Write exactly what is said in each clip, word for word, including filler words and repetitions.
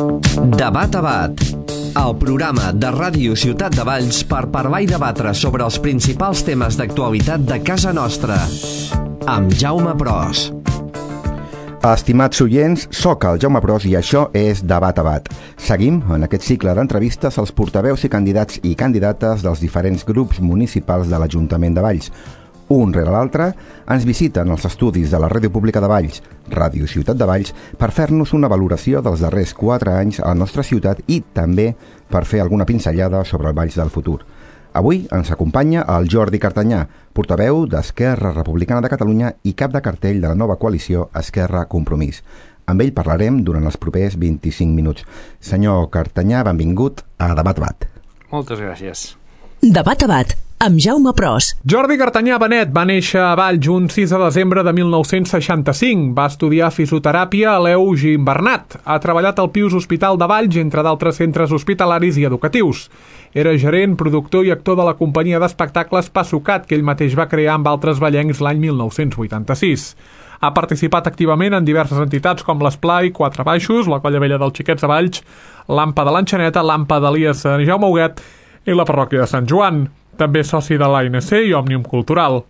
Debat a Bat, el programa de Ràdio Ciutat de Valls per parlar i debatre sobre els principals temes d'actualitat de casa nostra, amb Jaume Pros. Estimats oients, soc el Jaume Pros i això és Debat a Bat. Seguim en aquest cicle d'entrevistes als portaveus i candidats i candidates dels diferents grups municipals de l'Ajuntament de Valls. Un rere l'altre, ens visiten els estudis de la Ràdio Pública de Valls, Ràdio Ciutat de Valls, per fer-nos una valoració dels darrers quatre anys a la nostra ciutat i també per fer alguna pinzellada sobre el Valls del futur. Avui ens acompanya el Jordi Cartanyà, portaveu d'Esquerra Republicana de Catalunya i cap de cartell de la nova coalició Esquerra Compromís. Amb ell parlarem durant els propers vint-i-cinc minuts. Senyor Cartanyà, benvingut a Debat a Bat. Moltes gràcies. Debat a Bat, amb Jaume Pros. Jordi Cartanyà Benet va néixer a Valls un sis de desembre de mil nou-cents seixanta-cinc. Va estudiar fisioteràpia a l'Eugi Bernat. Ha treballat al Pius Hospital de Valls, entre d'altres centres hospitalaris i educatius. Era gerent, productor i actor de la companyia d'espectacles Passucat, que ell mateix va crear amb altres vallencs l'any mil nou-cents vuitanta-sis. Ha participat activament en diverses entitats com l'Esplai, Quatre Baixos, la Colla Vella dels Xiquets de Valls, l'Ampa de l'Enxaneta, l'Ampa d'Elies de Jaume Huguet i la parròquia de Sant Joan. També soci de l'A N C i Òmnium Cultural.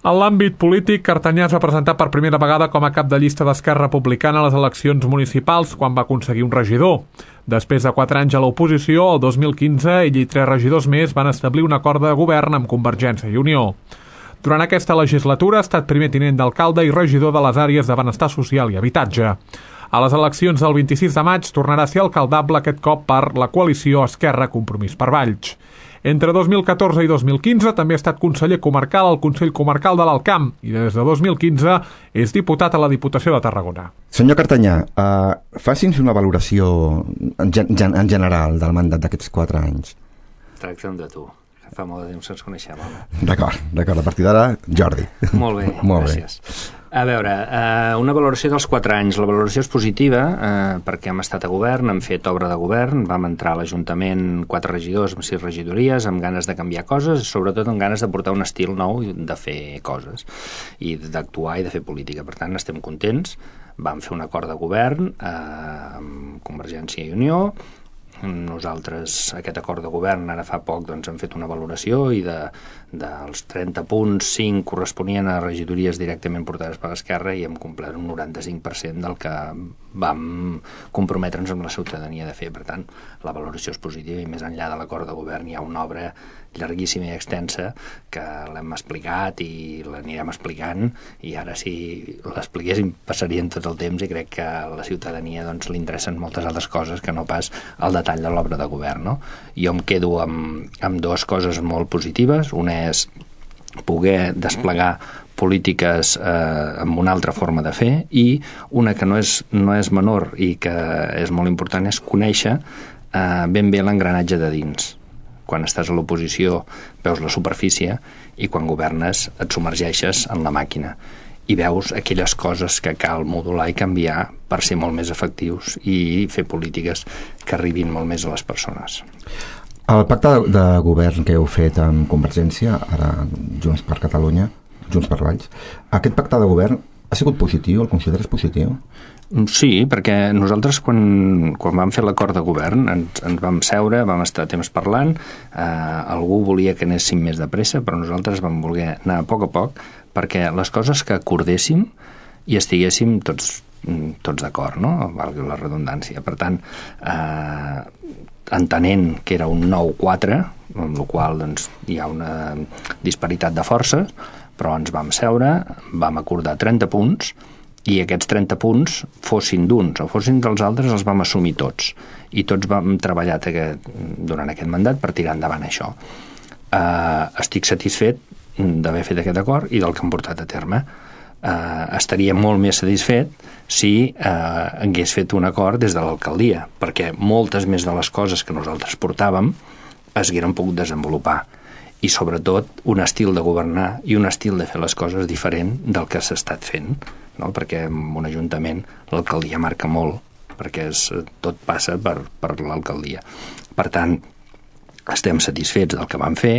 En l'àmbit polític, Cartanyà es va presentar per primera vegada com a cap de llista d'Esquerra Republicana a les eleccions municipals quan va aconseguir un regidor. Després de quatre anys a l'oposició, el dos mil quinze, ell i tres regidors més van establir un acord de govern amb Convergència i Unió. Durant aquesta legislatura ha estat primer tinent d'alcalde i regidor de les àrees de benestar social i habitatge. A les eleccions del vint-i-sis de maig tornarà a ser alcaldable aquest cop per la coalició Esquerra Compromís per Valls. Entre dos mil catorze i dos mil quinze també ha estat conseller comarcal al Consell Comarcal de l'Alt Camp i des de dos mil quinze és diputat a la Diputació de Tarragona. Senyor Cartanyà, uh, faci'ns una valoració en, gen en general del mandat d'aquests quatre anys. Tracta'm de tu, que fa molt de temps que ens coneixem. D'acord, d'acord, a partir d'ara, Jordi. Molt bé, molt gràcies. Bé. A veure, eh, una valoració dels quatre anys. La valoració és positiva eh, perquè hem estat a govern, hem fet obra de govern, vam entrar a l'Ajuntament quatre regidors amb sis regidories, amb ganes de canviar coses, sobretot amb ganes de portar un estil nou de fer coses i d'actuar i de fer política. Per tant, estem contents. Vam fer un acord de govern eh, amb Convergència i Unió. Nosaltres, aquest acord de govern, ara fa poc doncs, hem fet una valoració i de, dels trenta punts, cinc corresponien a regidories directament portades per l'Esquerra i hem complert un noranta-cinc per cent del que vam comprometre'ns amb la ciutadania de fer. Per tant, la valoració és positiva i més enllà de l'acord de govern hi ha una obra llarguíssima i extensa que l'hem explicat i l'anirem explicant i ara si l'expliquéssim passarien tot el temps i crec que a la ciutadania doncs, li interessen moltes altres coses que no pas el detall de l'obra de govern. No? Jo em quedo amb, amb dues coses molt positives. Una és poder desplegar polítiques eh, amb una altra forma de fer i una que no és, no és menor i que és molt important és conèixer eh, ben bé l'engranatge de dins. Quan estàs a l'oposició veus la superfície i quan governes et submergeixes en la màquina i veus aquelles coses que cal modular i canviar per ser molt més efectius i fer polítiques que arribin molt més a les persones. El pacte de govern que heu fet amb Convergència, ara Junts per Catalunya, Junts per Valls, aquest pacte de govern ha sigut positiu? El consideres positiu? Sí, perquè nosaltres quan, quan vam fer l'acord de govern ens, ens vam seure, vam estar temps parlant, eh, algú volia que anéssim més de pressa, però nosaltres vam voler anar a poc a poc perquè les coses que acordéssim i estiguéssim tots, tots d'acord, no? Valgui la redundància. Per tant, eh, entenent que era un nou quatre, amb la qual doncs, hi ha una disparitat de forces, però ens vam seure, vam acordar trenta punts i aquests trenta punts fossin d'uns o fossin dels altres els vam assumir tots i tots vam treballar aquest, durant aquest mandat per tirar endavant això. Eh, estic satisfet d'haver fet aquest acord i del que hem portat a terme. Eh, estaria molt més satisfet si eh, hagués fet un acord des de l'alcaldia, perquè moltes més de les coses que nosaltres portàvem es hagueren pogut desenvolupar i sobretot un estil de governar i un estil de fer les coses diferent del que s'ha estat fent, no? Perquè en un ajuntament l'alcaldia marca molt, perquè és, tot passa per, per l'alcaldia. Per tant, estem satisfets del que vam fer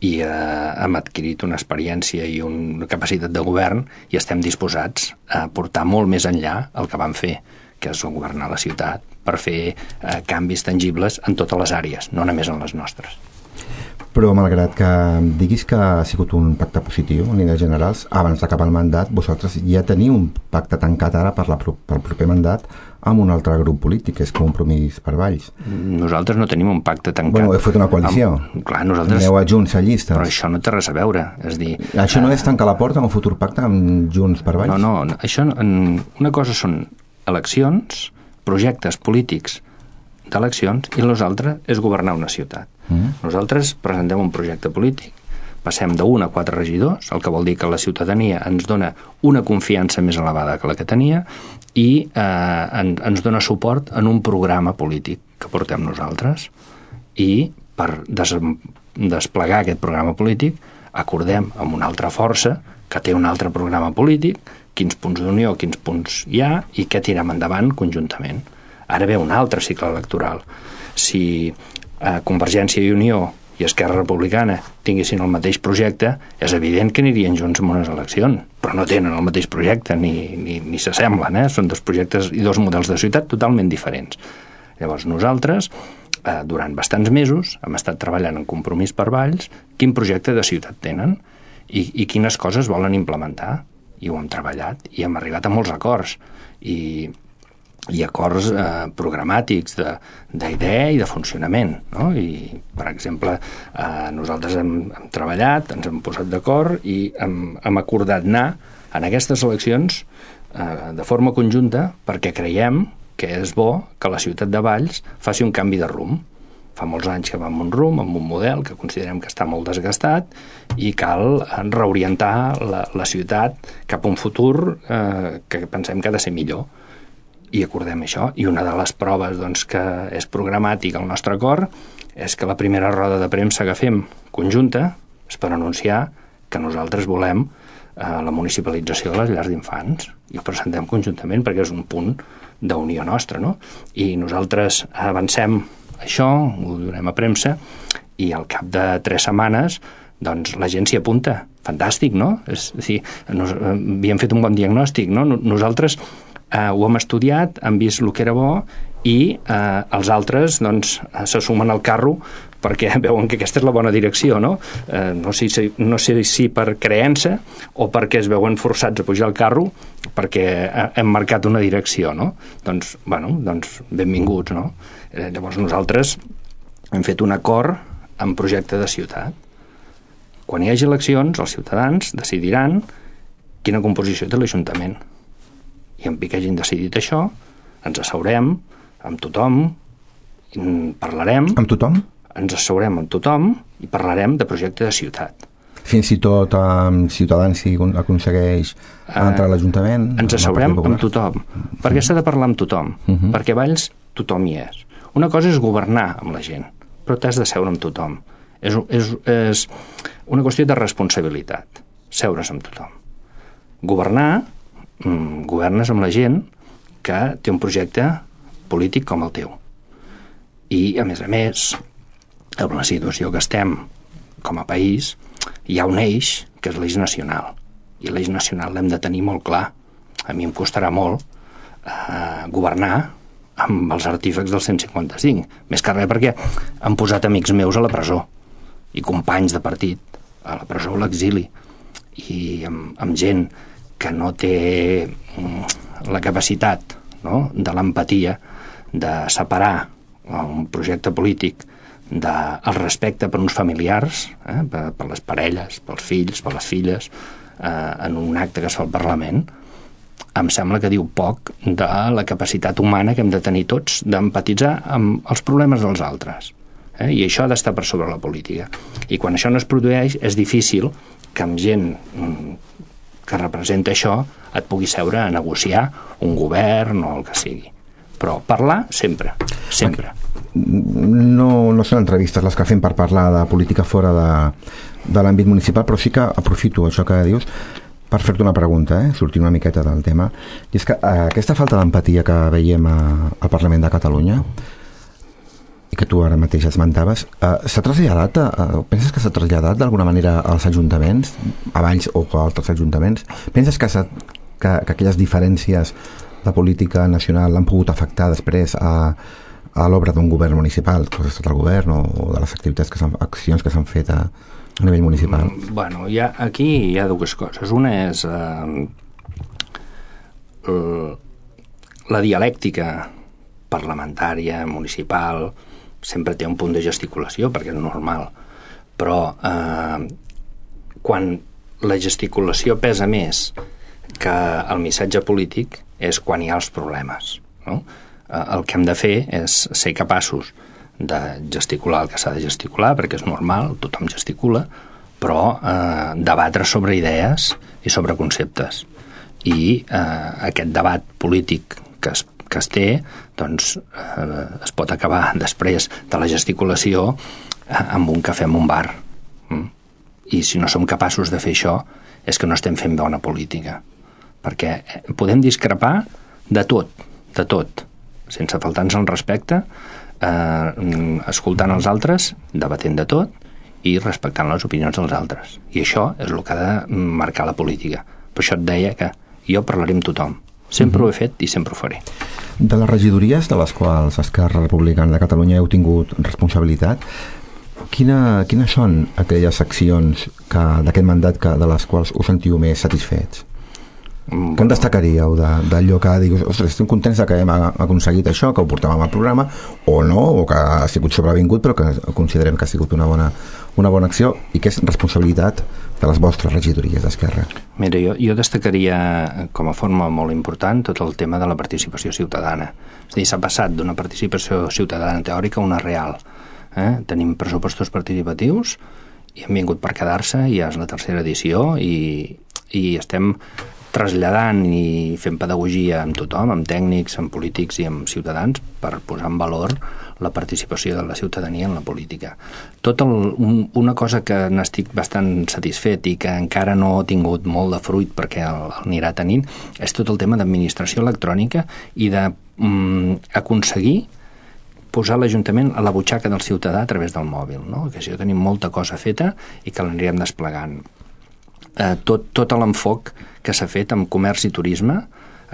i eh, hem adquirit una experiència i una capacitat de govern i estem disposats a portar molt més enllà el que vam fer, que és governar la ciutat per fer eh, canvis tangibles en totes les àrees, no només en les nostres. Però malgrat que diguis que ha sigut un pacte positiu en línies generals, abans d'acabar el mandat vosaltres ja teniu un pacte tancat ara per la, pel proper mandat amb un altre grup polític, que és Compromís per Valls. Nosaltres no tenim un pacte tancat. Bueno, heu fet una coalició. Amb, clar, nosaltres... Aneu a Junts a llistes. Però això no té res a veure. És dir, això no és tancar la porta a un futur pacte amb Junts per Valls? No, no. Això, una cosa són eleccions, projectes polítics d'eleccions, i l'altre és governar una ciutat. Mm. Nosaltres presentem un projecte polític, passem d'un a quatre regidors, el que vol dir que la ciutadania ens dona una confiança més elevada que la que tenia i eh, en, ens dona suport en un programa polític que portem nosaltres, i per des, desplegar aquest programa polític acordem amb una altra força que té un altre programa polític quins punts d'unió, quins punts hi ha i què tirem endavant conjuntament. Ara ve un altre cicle electoral. Si eh, Convergència i Unió i Esquerra Republicana tinguessin el mateix projecte, és evident que anirien junts en unes eleccions, però no tenen el mateix projecte, ni, ni, ni s'assemblen, eh? Són dos projectes i dos models de ciutat totalment diferents. Llavors nosaltres, eh, durant bastants mesos, hem estat treballant en Compromís per Valls, quin projecte de ciutat tenen i, i quines coses volen implementar, i ho hem treballat, i hem arribat a molts acords, i i acords eh, programàtics d'idea i de funcionament, no? I, per exemple, eh, nosaltres hem, hem treballat, ens hem posat d'acord i hem, hem acordat anar en aquestes eleccions eh, de forma conjunta perquè creiem que és bo que la ciutat de Valls faci un canvi de rumb. Fa molts anys que va amb un rumb, amb un model que considerem que està molt desgastat i cal reorientar la, la ciutat cap a un futur eh, que pensem que ha de ser millor. I acordem això, i una de les proves doncs, que és programàtica al nostre acord és que la primera roda de premsa que fem conjunta és per anunciar que nosaltres volem eh, la municipalització de les llars d'infants, i ho presentem conjuntament perquè és un punt d'unió nostra, no? I nosaltres avancem això, ho donem a premsa, i al cap de tres setmanes doncs la gent s'hi apunta. Fantàstic, no? És a dir, nos, havíem fet un bon diagnòstic, no? Nosaltres Uh, ho hem estudiat, hem vist el que era bo i uh, els altres doncs, se sumen al carro perquè veuen que aquesta és la bona direcció, no? Uh, no, sé si, no sé si per creença o perquè es veuen forçats a pujar al carro perquè hem marcat una direcció, no? Doncs, bueno, doncs benvinguts, no? Eh, llavors nosaltres hem fet un acord en projecte de ciutat. Quan hi hagi eleccions, els ciutadans decidiran quina composició té l'Ajuntament. I en pic hagin decidit això, ens asseurem amb tothom, parlarem... Amb tothom? Ens asseurem amb tothom i parlarem de projecte de ciutat. Fins i tot amb Ciutadans si aconsegueix entrar a l'Ajuntament? Ens asseurem amb tothom, perquè s'ha de parlar amb tothom, uh-huh. perquè Valls tothom hi és. Una cosa és governar amb la gent, però t'has de seure amb tothom. És, és, és una qüestió de responsabilitat, seure's amb tothom. Governar... governes amb la gent que té un projecte polític com el teu. I, a més a més, en la situació que estem com a país, hi ha un eix que és l'eix nacional. I l'eix nacional l'hem de tenir molt clar. A mi em costarà molt eh, governar amb els artífecs del cent cinquanta-cinc. Més que res perquè han posat amics meus a la presó i companys de partit a la presó o a l'exili. I amb, amb gent que no té la capacitat, no?, de l'empatia de separar un projecte polític del respecte per uns familiars, eh, per, per les parelles, pels fills, per les filles, eh, en un acte que es fa al Parlament, em sembla que diu poc de la capacitat humana que hem de tenir tots d'empatitzar amb els problemes dels altres. Eh? I això ha d'estar per sobre la política. I quan això no es produeix, és difícil que amb gent que representa això et pugui seure a negociar un govern o el que sigui. Però parlar sempre, sempre. No, no són entrevistes les que fem per parlar de política fora de, de l'àmbit municipal, però sí que aprofito això que dius per fer-te una pregunta, eh? Sortint una miqueta del tema. I és que eh, aquesta falta d'empatia que veiem a, al Parlament de Catalunya i que tu ara mateix esmentaves, eh, s'ha traslladat, eh, penses que s'ha traslladat d'alguna manera als ajuntaments, a Valls o a altres ajuntaments? Penses que, que, que aquelles diferències la política nacional han pogut afectar després a, a l'obra d'un govern municipal, que ha estat el govern o, o de les activitats, que accions que s'han fet a, a nivell municipal? Mm, bueno, hi ha, aquí hi ha dues coses. Una és eh, la dialèctica parlamentària, municipal, sempre té un punt de gesticulació, perquè és normal, però eh, quan la gesticulació pesa més que el missatge polític és quan hi ha els problemes, no? Eh, el que hem de fer és ser capaços de gesticular el que s'ha de gesticular, perquè és normal, tothom gesticula, però eh, debatre sobre idees i sobre conceptes. I eh, aquest debat polític que es, que es té, doncs eh, es pot acabar després de la gesticulació eh, amb un cafè en un bar. Mm? I si no som capaços de fer això, és que no estem fent bona política. Perquè podem discrepar de tot, de tot, sense faltar-nos el respecte, eh, escoltant els altres, debatent de tot i respectant les opinions dels altres. I això és el que ha de marcar la política. Per això et deia que jo parlaré amb tothom. Sempre mm-hmm. ho he fet i sempre ho faré. De les regidories de les quals Esquerra Republicana de Catalunya heu tingut responsabilitat, quina, quines són aquelles accions que, d'aquest mandat que, de les quals us sentiu més satisfets? Mm, Què en destacaríeu d'allò que dius, ostres, estem contents que hem aconseguit això, que ho portàvem al programa, o no, o que ha sigut sobrevingut, però que considerem que ha sigut una bona, una bona acció i que és responsabilitat de les vostres regidories d'Esquerra? Mira, jo, jo destacaria com a forma molt important tot el tema de la participació ciutadana. És a dir, s'ha passat d'una participació ciutadana teòrica a una real. Eh? Tenim pressupostos participatius i han vingut per quedar-se, i ja és la tercera edició, i, i estem traslladant i fent pedagogia amb tothom, amb tècnics, amb polítics i amb ciutadans, per posar en valor la participació de la ciutadania en la política. Tot el, un, una cosa que n'estic bastant satisfet i que encara no ha tingut molt de fruit perquè el, el anirà tenint, és tot el tema d'administració electrònica i d'aconseguir mm, posar l'Ajuntament a la butxaca del ciutadà a través del mòbil, no? Que això tenim molta cosa feta i que l'anirem desplegant. Eh, tot, tot l'enfoc que s'ha fet amb comerç i turisme,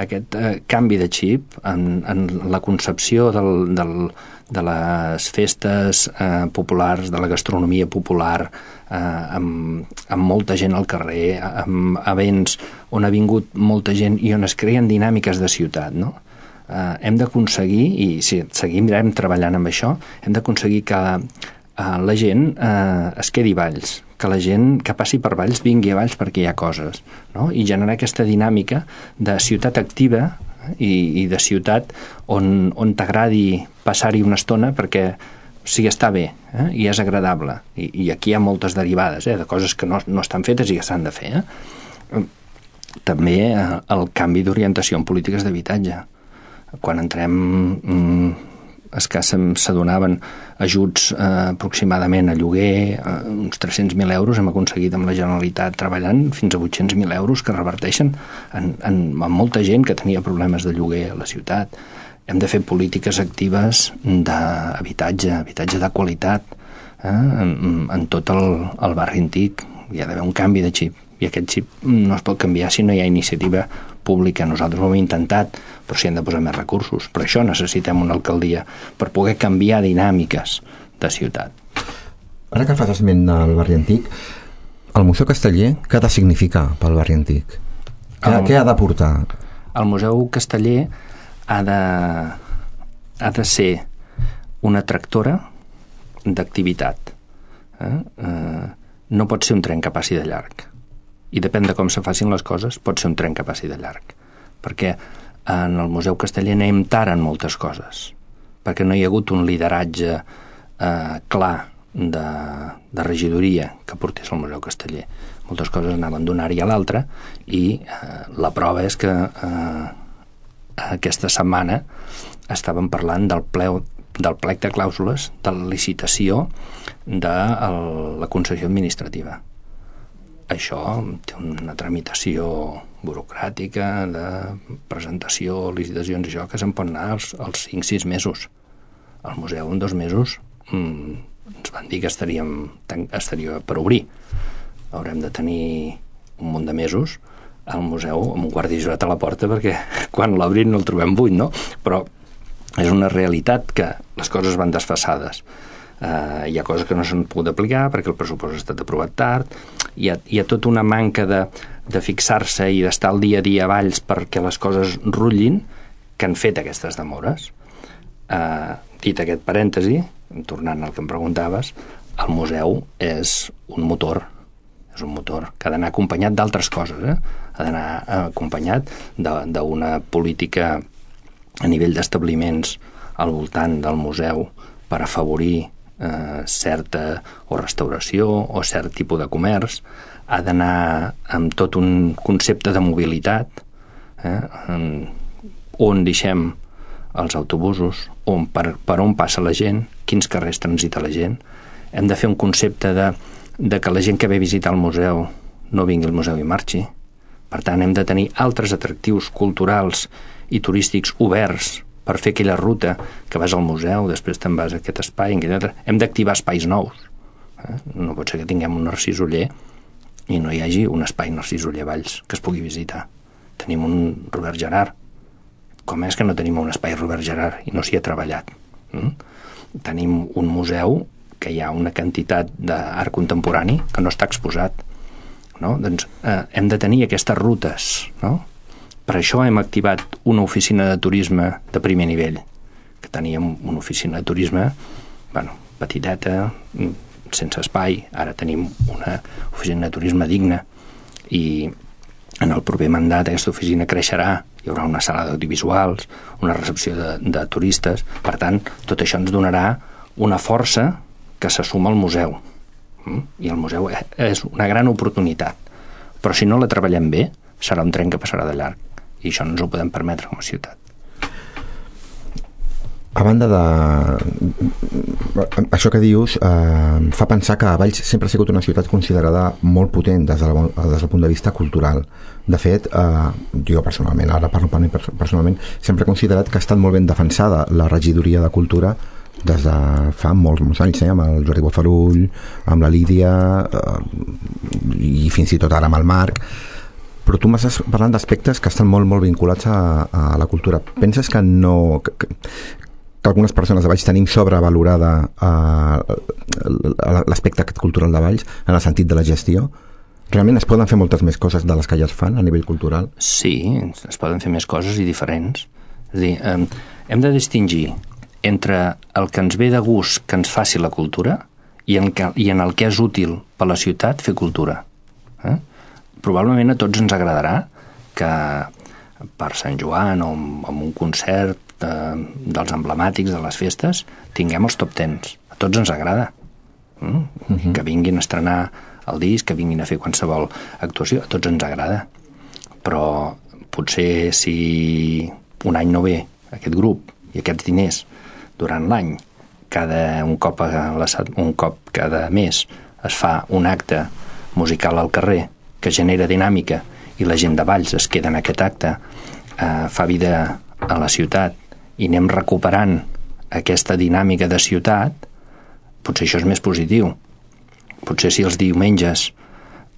aquest eh, canvi de xip en, en la concepció del, del, de les festes eh, populars, de la gastronomia popular, eh, amb, amb molta gent al carrer, amb events on ha vingut molta gent i on es creen dinàmiques de ciutat, no? Eh, hem d'aconseguir, i si seguirem treballant amb això, hem d'aconseguir que eh, la gent eh, es quedi a Valls, que la gent que passi per Valls vingui a Valls perquè hi ha coses, no? I generar aquesta dinàmica de ciutat activa i, i de ciutat on, on t'agradi passar-hi una estona perquè sí, està bé, eh? I és agradable. I, i aquí hi ha moltes derivades, eh? De coses que no, no estan fetes i que s'han de fer. Eh? També eh, el canvi d'orientació en polítiques d'habitatge. Quan entrem... Mm, escassament s'adonaven ajuts eh, aproximadament a lloguer, eh, uns tres-cents mil euros hem aconseguit amb la Generalitat treballant fins a vuit-cents mil euros que reverteixen en, en, en molta gent que tenia problemes de lloguer a la ciutat. Hem de fer polítiques actives d'habitatge, habitatge de qualitat, eh, en, en tot el, el barri antic. Hi ha d'haver un canvi de xip, i aquest xip no es pot canviar si no hi ha iniciativa pública. Nosaltres ho hem intentat, però s'hi han de posar més recursos. Per això necessitem una alcaldia, per poder canviar dinàmiques de ciutat. Ara que fas esment del barri antic, el Museu Casteller, què ha de significar pel barri antic? Què, el, què ha d'aportar? El Museu Casteller ha de, ha de ser una tractora d'activitat. Eh? Eh, no pot ser un tren que passi de llarg. I depèn de com se facin les coses, pot ser un tren que passi de llarg. Perquè en el Museu Casteller anem tard en moltes coses, perquè no hi ha hagut un lideratge eh, clar de, de regidoria que portés al Museu Casteller. Moltes coses anaven d'una àrea a l'altra i eh, la prova és que eh, aquesta setmana estàvem parlant del pleu del plec de clàusules de la licitació de el, la concessió administrativa. Això té una tramitació burocràtica de presentació, licitacions i això, que se'n pot anar als, als cinc sis mesos. Al museu en dos mesos mmm, ens van dir que estaríem, estaria per obrir. Haurem de tenir un munt de mesos el museu amb un guàrdia jurat a la porta perquè quan l'obrin no el trobem buit, no? Però és una realitat que les coses van desfasades. Uh, hi ha coses que no s'han pogut aplicar perquè el pressupost ha estat aprovat tard, hi ha, hi ha tota una manca de, de fixar-se i d'estar al dia a dia a Valls perquè les coses rutllin que han fet aquestes demores. Uh, dit aquest parèntesi, tornant al que em preguntaves, el museu és un motor, és un motor que ha d'anar acompanyat d'altres coses, eh? Ha d'anar acompanyat d'una política a nivell d'establiments al voltant del museu per afavorir eh, certa o restauració o cert tipus de comerç, ha d'anar amb tot un concepte de mobilitat, eh, on deixem els autobusos, on, per, per on passa la gent, quins carrers transita la gent. Hem de fer un concepte de, de que la gent que ve a visitar el museu no vingui al museu i marxi. Per tant, hem de tenir altres atractius culturals i turístics oberts per fer aquella ruta que vas al museu, després te'n vas a aquest espai, en aquest altre. Hem d'activar espais nous. Eh? No pot ser que tinguem un Narcís Oller i no hi hagi un espai Narcís Oller a Valls que es pugui visitar. Tenim un Robert Gerhard. Com és que no tenim un espai Robert Gerhard i no s'hi ha treballat? Mm? Tenim un museu que hi ha una quantitat d'art contemporani que no està exposat. No? Doncs eh, hem de tenir aquestes rutes, no? Per això hem activat una oficina de turisme de primer nivell, que teníem una oficina de turisme, bueno, petiteta, sense espai. Ara tenim una oficina de turisme digna i en el proper mandat aquesta oficina creixerà. Hi haurà una sala d'audiovisuals, una recepció de, de turistes. Per tant, tot això ens donarà una força que se suma al museu. I el museu és una gran oportunitat. Però si no la treballem bé, serà un tren que passarà de llarg. I això no ens ho podem permetre com a ciutat. A banda de... Això que dius eh, fa pensar que Valls sempre ha sigut una ciutat considerada molt potent des, de la, des del punt de vista cultural. De fet, eh, jo personalment, ara parlo per mi personalment, sempre he considerat que ha estat molt ben defensada la regidoria de cultura des de fa molts, molts anys, eh, amb el Jordi Bofarull, amb la Lídia, eh, i fins i tot ara amb el Marc. Però tu m'estàs parlant d'aspectes que estan molt, molt vinculats a, a la cultura. Penses que no... Que, que algunes persones de Valls tenim sobrevalorada uh, l'aspecte cultural de Valls en el sentit de la gestió? Realment es poden fer moltes més coses de les que ja es fan a nivell cultural? Sí, es poden fer més coses i diferents. És a dir, eh, hem de distingir entre el que ens ve de gust que ens faci la cultura i en, que, i en el que és útil per la ciutat fer cultura. Eh? Probablement a tots ens agradarà que per Sant Joan o amb un concert de, dels emblemàtics de les festes tinguem els top tens. A tots ens agrada. Mm? Uh-huh. Que vinguin a estrenar el disc, que vinguin a fer qualsevol actuació, a tots ens agrada. Però potser si un any no ve aquest grup i aquests diners durant l'any, cada un cop, a la, un cop cada mes es fa un acte musical al carrer que genera dinàmica i la gent de Valls es queda en aquest acte, eh, fa vida a la ciutat i anem recuperant aquesta dinàmica de ciutat, potser això és més positiu. Potser si els diumenges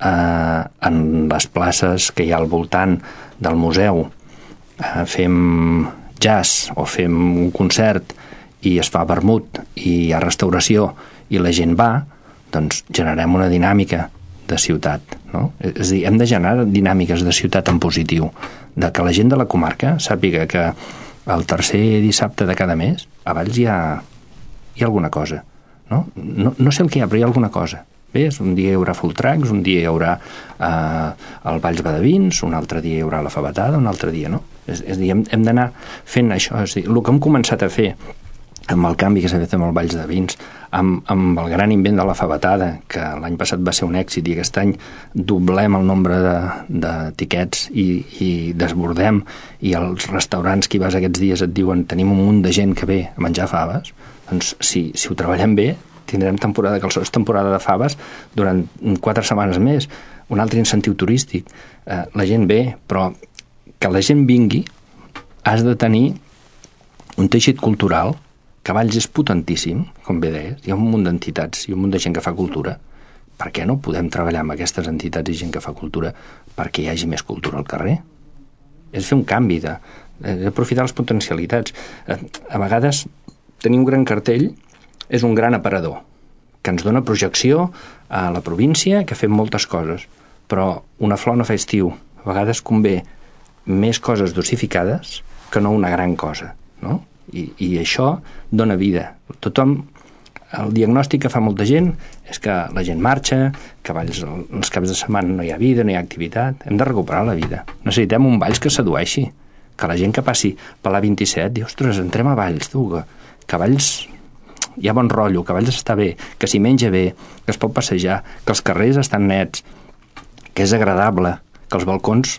eh, en les places que hi ha al voltant del museu eh, fem jazz o fem un concert i es fa vermut i hi ha restauració i la gent va, doncs generem una dinàmica de ciutat, no? És a dir, hem de generar dinàmiques de ciutat en positiu, de que la gent de la comarca sàpiga que el tercer dissabte de cada mes a Valls hi ha, hi ha alguna cosa, no? No, no sé el que hi ha, però hi ha alguna cosa. Bé, un dia hi haurà full tracks, un dia hi haurà eh, el Valls Badavins, un altre dia hi haurà la Fabatada, un altre dia no. És, és a dir, hem, hem d'anar fent això. És a dir, el que hem començat a fer amb el canvi que s'ha fet amb el Valls de Vins, amb, amb el gran invent de la Fabatada, que l'any passat va ser un èxit i aquest any doblem el nombre de, de tiquets i, i desbordem, i els restaurants que hi vas aquests dies et diuen tenim un munt de gent que ve a menjar faves, doncs si, si ho treballem bé tindrem temporada, que el és temporada de faves durant quatre setmanes més, un altre incentiu turístic. Eh, la gent ve, però que la gent vingui has de tenir un teixit cultural que Valls és potentíssim, com bé deies, hi ha un munt d'entitats i un munt de gent que fa cultura, per què no podem treballar amb aquestes entitats i gent que fa cultura perquè hi hagi més cultura al carrer? És fer un canvi, de, de aprofitar les potencialitats. A vegades tenir un gran cartell és un gran aparador que ens dona projecció a la província, que fem moltes coses, però una flor no fa estiu. A vegades convé més coses dosificades que no una gran cosa, no? I, i això dona vida. Tothom, el diagnòstic que fa molta gent és que la gent marxa, que Valls els caps de setmana no hi ha vida, no hi ha activitat. Hem de recuperar la vida. Necessitem un Valls que sedueixi, que la gent que passi per l'A vint-i-set diu, ostres, entrem a Valls, tu, que, que Valls hi ha bon rotllo, que Valls està bé, que s'hi menja bé, que es pot passejar, que els carrers estan nets, que és agradable, que els balcons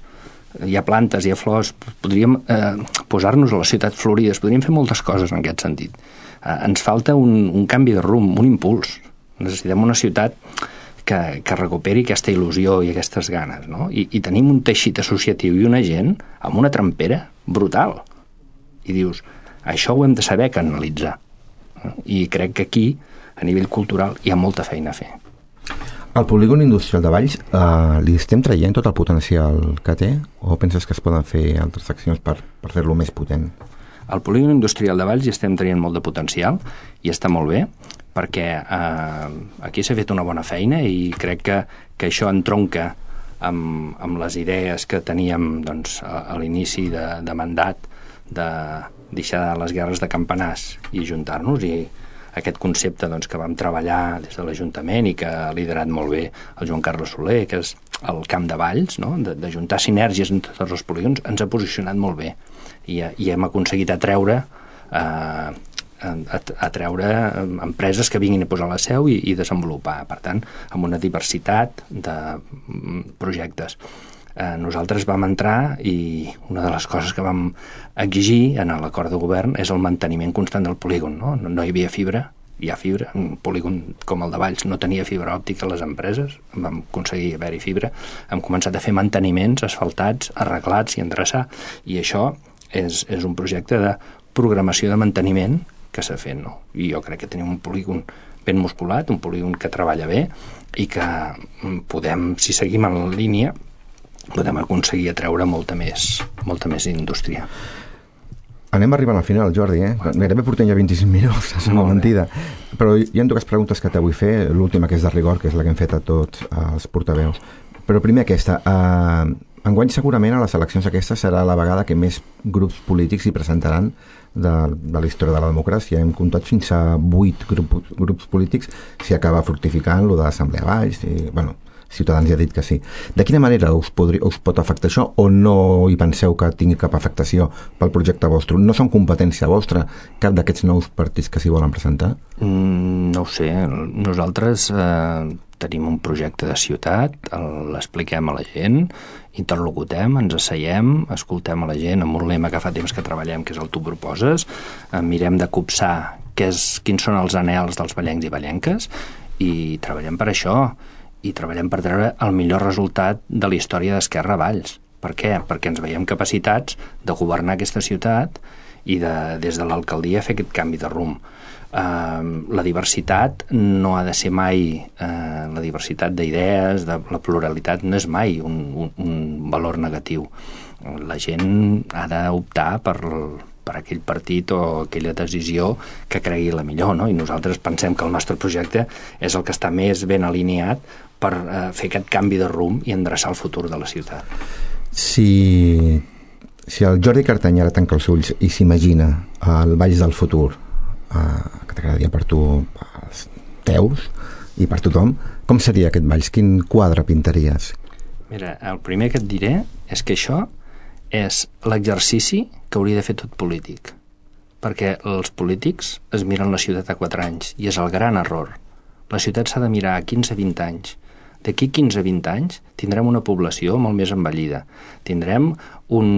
hi ha plantes, hi ha flors, podríem eh, posar-nos a les ciutats florides, podríem fer moltes coses en aquest sentit. Eh, ens falta un, un canvi de rumb, un impuls. Necessitem una ciutat que, que recuperi aquesta il·lusió i aquestes ganes, no? I, i tenim un teixit associatiu i una gent amb una trempera brutal. I dius, això ho hem de saber canalitzar. I crec que aquí, a nivell cultural, hi ha molta feina a fer. Al polígon industrial de Valls eh, li estem traient tot el potencial que té o penses que es poden fer altres accions per, per fer-lo més potent? Al polígon industrial de Valls hi estem traient molt de potencial i està molt bé perquè eh, aquí s'ha fet una bona feina i crec que, que això entronca amb, amb les idees que teníem doncs, a, a l'inici de, de mandat de deixar les guerres de campanars i juntar-nos, i aquest concepte doncs, que vam treballar des de l'Ajuntament i que ha liderat molt bé el Joan Carles Soler, que és el camp de Valls, no? de, de juntar sinergies entre tots els polígons, ens ha posicionat molt bé i, i hem aconseguit atreure eh, atreure empreses que vinguin a posar la seu i, i desenvolupar, per tant, amb una diversitat de projectes. Eh, nosaltres vam entrar i una de les coses que vam exigir en l'acord de govern és el manteniment constant del polígon. No, no, no hi havia fibra, hi ha fibra. Un polígon com el de Valls no tenia fibra òptica a les empreses, vam aconseguir haver-hi fibra. Hem començat a fer manteniments asfaltats, arreglats i endreçar, i això és, és un projecte de programació de manteniment que s'ha fet, no? I jo crec que tenim un polígon ben musculat, un polígon que treballa bé i que podem, si seguim en la línia, podem aconseguir atreure molta més, molta més indústria. Anem arribant al final, Jordi, eh? Gairebé portem ja vint-i-cinc minuts, és una mentida. Però hi ha dues preguntes que te vull fer, l'última que és de rigor, que és la que hem fet a tots els portaveus. Però primer aquesta, eh, enguany segurament a les eleccions aquestes serà la vegada que més grups polítics hi presentaran de, de la història de la democràcia. Hem comptat fins a vuit grup, grups polítics, si acaba fructificant lo de l'Assemblea Valls, i, bueno, Ciutadans ja ha dit que sí. De quina manera us, podri, us pot afectar això, o no hi penseu que tingui cap afectació pel projecte vostre? No són competència vostra cap d'aquests nous partits que s'hi volen presentar? Mm, no ho sé. Nosaltres eh, tenim un projecte de ciutat, l'expliquem a la gent, interlocutem, ens asseiem, escoltem a la gent amb un lema que fa temps que treballem, que és el Tu proposes, eh, mirem de copsar què és, quins són els anhels dels vallencs i vallenques, i treballem per això, i treballem per treure el millor resultat de la història d'Esquerra a Valls. Per què? Perquè ens veiem capacitats de governar aquesta ciutat i de, des de l'alcaldia fer aquest canvi de rumb. Uh, la diversitat no ha de ser mai, uh, la diversitat d'idees, de la pluralitat no és mai un, un, un valor negatiu. La gent ha d'optar per per aquell partit o aquella decisió que cregui la millor, no? I nosaltres pensem que el nostre projecte és el que està més ben alineat per eh, fer aquest canvi de rumb i endreçar el futur de la ciutat. Si, si el Jordi Cartany ara tanca els ulls i s'imagina el Valls del futur, eh, que t'agradaria per tu, els teus i per tothom, com seria aquest Valls? Quin quadre pintaries? Mira, el primer que et diré és que això és l'exercici que hauria de fer tot polític, perquè els polítics es miren la ciutat a quatre anys i és el gran error. La ciutat s'ha de mirar a quinze a vint anys. D'aquí quinze a vint anys tindrem una població molt més envellida, tindrem un,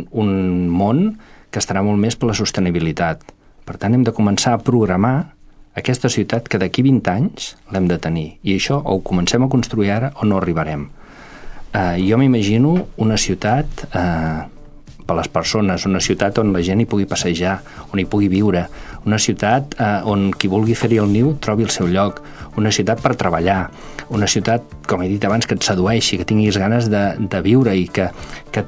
un món que estarà molt més per la sostenibilitat. Per tant, hem de començar a programar aquesta ciutat que d'aquí vint anys l'hem de tenir, i això o ho comencem a construir ara o no arribarem. Uh, jo m'imagino una ciutat uh, per les persones, una ciutat on la gent hi pugui passejar, on hi pugui viure, una ciutat eh, on qui vulgui fer-hi el niu trobi el seu lloc, una ciutat per treballar, una ciutat, com he dit abans, que et sedueixi, que tinguis ganes de, de viure i que, que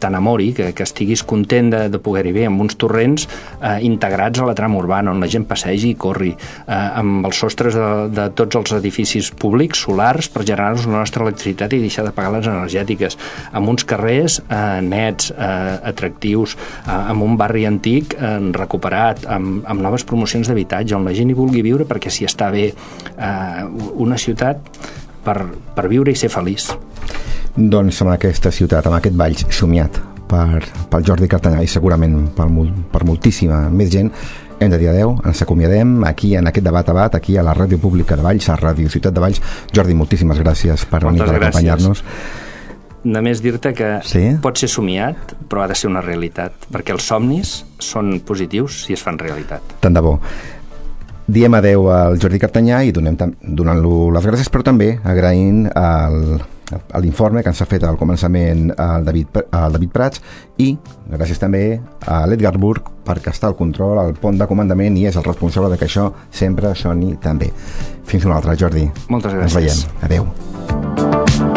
t'enamori, que, que estiguis content de, de poder-hi bé, amb uns torrents eh, integrats a la trama urbana, on la gent passegi i corri, eh, amb els sostres de, de tots els edificis públics, solars, per generar-nos la nostra electricitat i deixar de pagar les energètiques, amb uns carrers eh, nets, eh, atractius, eh, amb un barri antic eh, recuperat, amb, amb noves promocions d'habitatge, on la gent hi vulgui viure perquè s'hi està bé, eh, una ciutat per, per viure i ser feliç. Doncs amb aquesta ciutat, amb aquest Valls somiat per, pel Jordi Cartanyà i segurament per, per moltíssima més gent, hem de dir adeu, ens acomiadem aquí en aquest debat a bat, aquí a la Ràdio Pública de Valls, a Ràdio Ciutat de Valls. Jordi, moltíssimes gràcies per venir, per acompanyar-nos. Només dir-te que sí? pot ser somiat, però ha de ser una realitat, perquè els somnis són positius si es fan realitat. Tant de bo. Diem adeu al Jordi Cartanyà i donem donant-lo les gràcies, però també agraint el, l'informe que ens ha fet al començament el David, el David Prats, i gràcies també a l'Edgar Burg, perquè està al control, al pont de comandament, i és el responsable de que això sempre soni tan bé. Fins una altra, Jordi. Moltes gràcies. Ens veiem. Adeu.